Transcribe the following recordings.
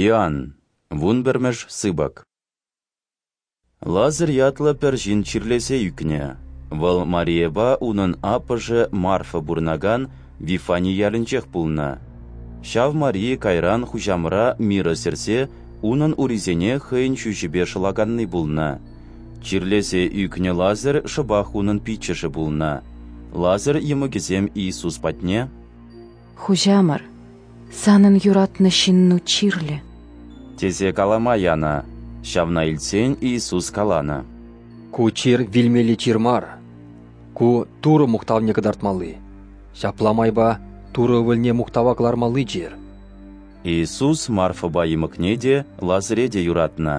Иоанн, вунпӗрмӗш сыпӑк. Лазарь ятлӑ пӗр ҫын чирлесе ӳкнӗ. Вӑл Марийӑпа унӑн аппӑшӗ Марфа пурӑнакан Вифани ялӗнчех пулнӑ. Ҫав Мария кайран хуҫамӑра миро сӗрсе унӑн урисене хӑйӗн ҫӳҫӗпе шӑлаканни пулнӑ. Чирлесе ӳкнӗ Лазарь шӑпах унӑн пиччӗшӗ пулнӑ. Лазарь йӑмӑкӗсем Иисус патне «Хуҫамӑр, санӑн юратнӑ ҫынну чирлӗ», тесе калама янӑ. Ҫавна илтсен Иисус каланӑ: «Ку чир вилмелли чир мар. Ку Турӑ мухтавне кӑтартмалли, ҫапла майпа Турӑ Ывӑлне мухтава кӑлармалли чир». Иисус Марфӑпа йӑмӑкне те, Лазаре те юратнӑ.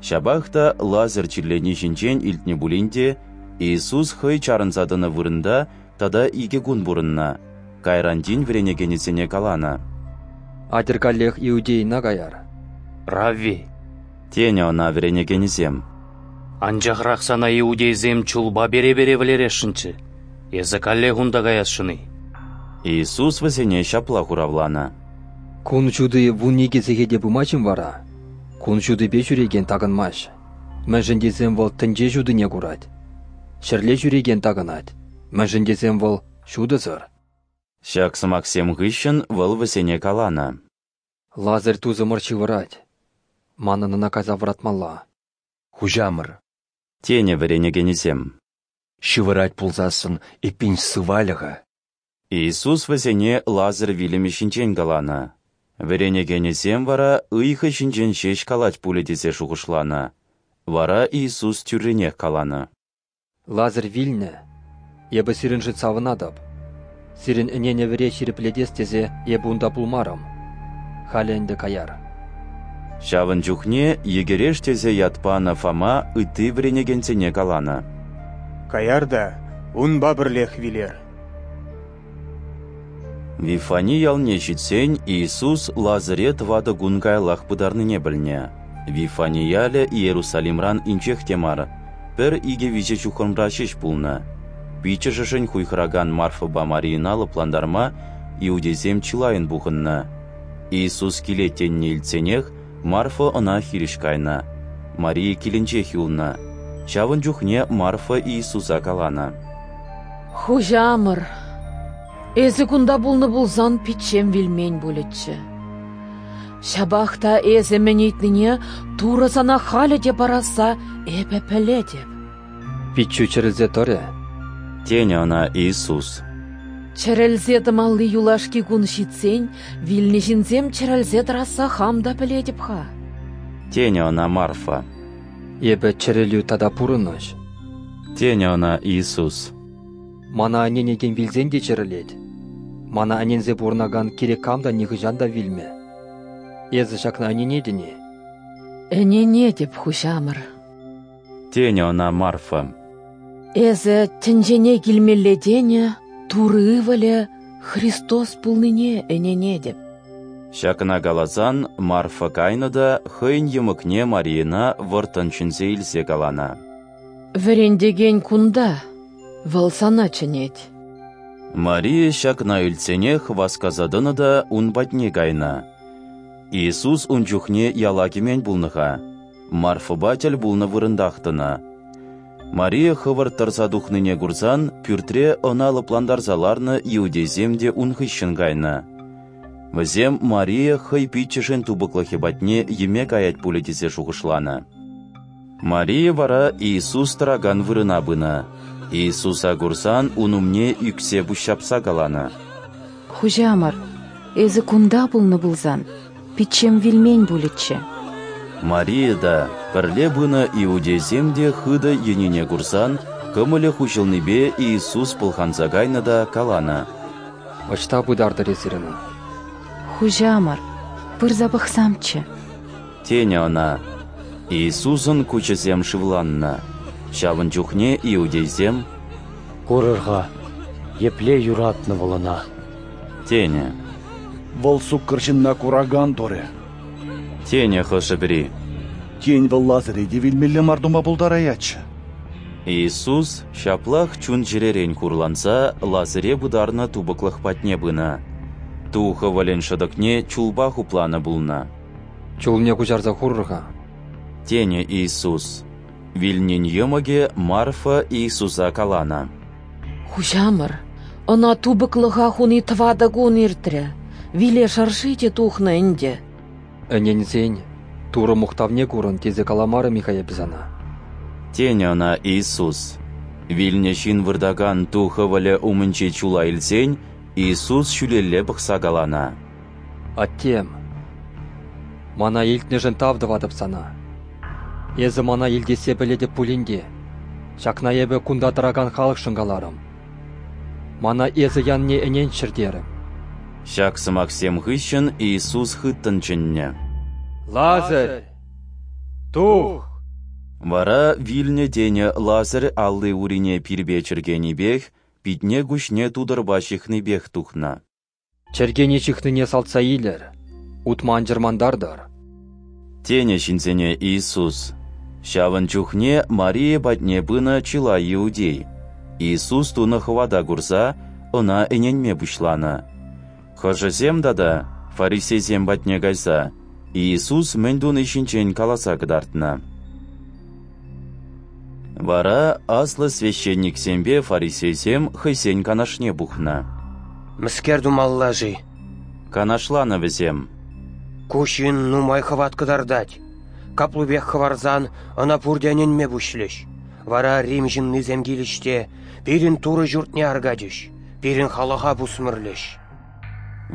Ҫапах та Лазарь чирлени ҫинчен илтнӗ пулин те, Иисус хӑй чарӑнса тӑнӑ вырӑнта тата икӗ кун пурӑннӑ. Кайран тин вӗренекенӗсене каланӑ: «Атьӑр каллех Иудейӑна каяр». «Равви», тенӗ ӑна вӗренекенӗсем. «Анчахрах сана иудейсем чулпа пере-пере вӗлересшӗнччӗ. Эсӗ каллех унта каясшӑн-и?» Иисус вӗсене ҫапла хуравланӑ: «Кун ҫути 12 сехете пымасть-им вара? Кун ҫутипе ҫӳрекен такӑнмасть, мӗншӗн тесен вӑл тӗнче ҫутине курать. Ҫӗрле ҫӳрекен такӑнать, мӗншӗн тесен вӑл ҫутӑсӑр». Ҫак сӑмахсем хыҫҫӑн вӑл вӗсене каланӑ: «Лазарь тусӑмӑр ҫывӑрать. Манӑн ӑна кайса вӑратмалла». «Хуҫамӑр», тенӗ вӗренекенӗсем. «Ҫывӑрать пулсассӑн, эппин сывалӗ-ха». Иисус вӗсене Лазарь вилӗмӗ ҫинчен каланӑ. Вӗренекенӗсем вара ыйхӑ ҫинчен ҫеҫ калать пулӗ тесе шухӑшланӑ. Вара Иисус тӳррӗнех каланӑ: «Лазарь вилнӗ. Эпӗ сирӗншӗн савӑнатӑп. Сирӗн ӗненӗвӗре ҫирӗплетес тесе эпӗ унта пулмарӑм. Халӗ ӗнтӗ каяр». Ҫавӑн чухне Йӗкӗреш тесе ят панӑ Фома ытти вӗренекенсене каланӑ: «Каяр та унпа пӗрлех вилер». Вифани ялне ҫитсен Иисус Лазаре 4 кун каяллах пытарнине пӗлнӗ. Вифани ялӗ Иерусалимран инҫех те мар, пӗр икӗ-виҫӗ ҫухрӑмра ҫеҫ пулнӑ. Пиччӗшӗшӗн хуйхӑракан Марфӑпа Марийӑна лӑплантарма иудейсем чылайӑн пухӑннӑ. Иисус килет тенине илтсенех Марфа ӑна хирӗҫ кайнӑ. Мария килӗнчех юлнӑ. Ҫавӑн чухне Марфа Иисуса каланӑ: «Хуҫамӑр, эсӗ кунта пулнӑ пулсан пиччем вилмен пулӗччӗ. Ҫапах та эсӗ мӗн ыйтнине Турӑ сана халӗ те парасса эпӗ пӗлетӗп». «Пиччӳ чӗрӗлсе тӑрӗ», тенӗ ӑна Иисус. «Чӗрӗлсе тӑмалли юлашки кун ҫитсен вилнӗ ҫынсем чӗрӗлсе тӑрасса хам та пӗлетӗп-ха», тенӗ ӑна Марфа. «Эпӗ чӗрӗлӳ тата пурӑнӑҫ», тенӗ ӑна Иисус. «Мана ӗненекен вилсен те чӗрӗлет. Мана ӗненсе пурӑнакан кирек кам та нихӑҫан та вилмӗ. Эсӗ ҫакна ӗненетӗн-и?» «Ӗненетӗп, Хуҫамӑр», тенӗ ӑна Марфа. «Эсӗ тӗнчене килмелле тенӗ Турӑ Ывӑлӗ Христос пулнине ӗненетӗп». Ҫакна каласан Марфа кайнӑ та хӑйӗн йӑмӑкне Марийӑна вӑрттӑн чӗнсе илсе каланӑ: «Вӗрентекен кунта, вӑл сана чӗнет». Мария ҫакна илтсенех васкаса тӑнӑ та ун патне кайнӑ. Иисус ун чухне яла кӗмен пулнӑ-ха, Марфӑпа тӗл пулнӑ вырӑнтах тӑнӑ. Мария хӑвӑрт тӑрса тухнине курсан пӳртре ӑна лӑплантарса ларнӑ иудейсем те ун хыҫҫӑн кайнӑ. Вӗсем Мария хӑй пиччӗшӗн тупӑклӑхӗ патне йӗме каять пулӗ тесе шухӑшланӑ. Мария вара Иисус тӑракан вырӑна пынӑ. Иисуса курсан ун умне ӳксе пуҫҫапса каланӑ: «Хуҫамӑр, эсӗ кунта пулнӑ пулсан, пиччем вилмен пулӗччӗ». Мария та, пӗрле пынӑ иудейсем те хытӑ йӗнине курсан, кӑмӑлӗ хуҫӑлнипе Иисус пӑлханса кайнӑ та каланӑ: «Ӑҫта пытартӑр эсир ӑна?» «Хуҫамӑр, пырса пӑхсамччӗ», тенӗ ӑна. Иисусӑн куҫӗсем шывланнӑ. Ҫавӑн чухне иудейсем: «Курӑр-ха, епле юратнӑ вӑл ӑна», тенӗ. «Вӑл суккӑр ҫынна куракан турӗ», тенӗ хӑшӗ-пӗри. «Тен, вӑл Лазаре те вилмелле мар тума пултараятчӗ». Иисус ҫаплах чун-чӗререн хурланса Лазаре пытарнӑ тупӑклӑх патне пынӑ. Ту хӑвӑлӗн шӑтӑкне чулпа хупланӑ пулнӑ. Чулне куҫарса хурӑр-ха, тенӗ Иисус. Вилнин йӑмӑкӗ Марфа Иисуса каланӑ: Хуҫамӑр, ӑна тупӑклӑха хуни 4 кун иртрӗ, виле шӑрши те тухнӑ ӗнтӗ. Ӗненсен Турӑ мухтавне курӑн тесе каламарӑм-и-ха эпӗ сана? Тенӗ ӑна Иисус. Вилнӗ ҫын выртакан ту хӑвӑлӗ умӗнчи чула илсен Иисус ҫӳлелле пӑхса каланӑ: Аттем, мана илтнӗшӗн тав тӑватӑп сана. Эсӗ мана илтессе пӗлетӗп пулин те, ҫакна эпӗ кунта тӑракан халӑхшӑн каларӑм. Мана эсӗ янине ӗненччӗр терӗм. Ҫак сӑмахсем хыҫҫӑн Иисус хыттӑн чӗннӗ: Лазарь, тух! Вара вилнӗ тенӗ Лазарь алли-урине пирпе чӗркенипех, питне-куҫне тутӑрпа ҫыхнипех тухнӑ. Чӗркене ҫыхнине салтса илӗр, утма ан чӑрмантартӑр, тенӗ ҫынсене Иисус. Ҫавӑн чухне Мария патне пынӑ чылай иудей, Иисус тунӑ хӑвата курса, ӑна ӗненме пуҫланӑ. Хӑшӗсем тата, фарисейсем патне кайса, Иисус мӗн туни ҫинчен каласа кӑтартнӑ. Вара аслӑ священниксемпе фарисейсем хӑйсен канашне пухнӑ. Мӗскер тумалла-ши? Канашланӑ вӗсем. Ку ҫын нумай хӑват кӑтартать. Каплипех хӑварсан ӑна пурте ӗненме пуҫлӗҫ. Вара Рим ҫыннисем килӗҫ те пирӗн Турӑ ҫуртне аркатӗҫ, пирӗн халӑха пусмӑрлӗҫ.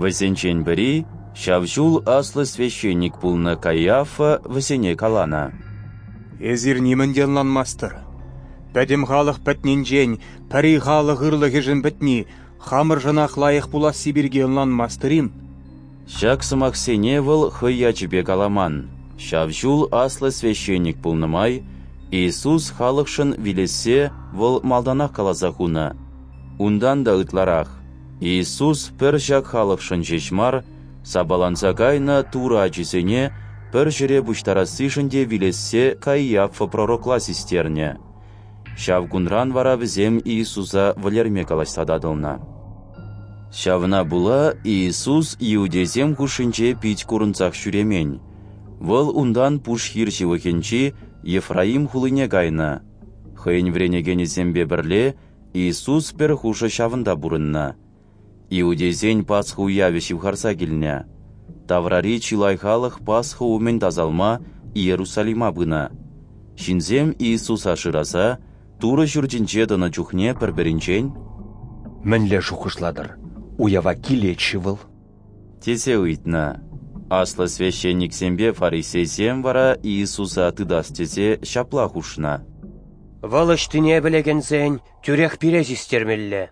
Вӗсенчен пӗри, ҫав ҫул аслӑ священник пулнӑ Каиафа, вӗсене каланӑ: Эсир нимӗн те ӑнланмастӑр. Пӗтӗм халӑх пӗтнинчен пӗри халӑх ырлӑхӗшӗн пӗтни хамӑршӑнах лайӑх пуласси пирки ӑнланмастӑр-им? Ҫак сӑмахсене вӑл хӑй ячӗпе каламан. Ҫав ҫул аслӑ священник пулнӑ май Иисус халӑхшӑн вилессе вӑл малтанах каласа хунӑ. Унтан та ытларах, Иисус пӗр ҫак халӑхшӑн ҫеҫ мар, сапаланса кайнӑ Турӑ ачисене пӗр ҫӗре пуҫтарассишӗн те вилессе Каиафа пророкла систернӗ. Ҫав кунран вара вӗсем Иисуса вӗлерме калаҫса татӑлнӑ. Ҫавна пула Иисус иудейсем хушшинче пит курӑнсах ҫӳремен. Вӑл унтан пуш хир ҫывӑхӗнчи Ефраим хулине кайнӑ. Хӑйӗн вӗренекенӗсемпе пӗрле Иисус пӗр хушӑ ҫавӑнта пурӑннӑ. Иудейсен Пасха уявӗ ҫывхарса килнӗ. Таврари чылай халӑх Пасха умӗн тасалма Иерусалима пынӑ. Ҫынсем Иисуса шыраса Турӑ ҫуртӗнче тӑнӑ чухне пӗр-пӗринчен: Мӗнле шухӑшлатӑр, уява килет-ши вӑл? Тесе ыйтнӑ. Аслӑ священниксемпе фарисейсем вара Иисуса тытас тесе ҫапла хушнӑ: Вӑл ӑҫтине пӗлекенсен тӳрех пире систермелле.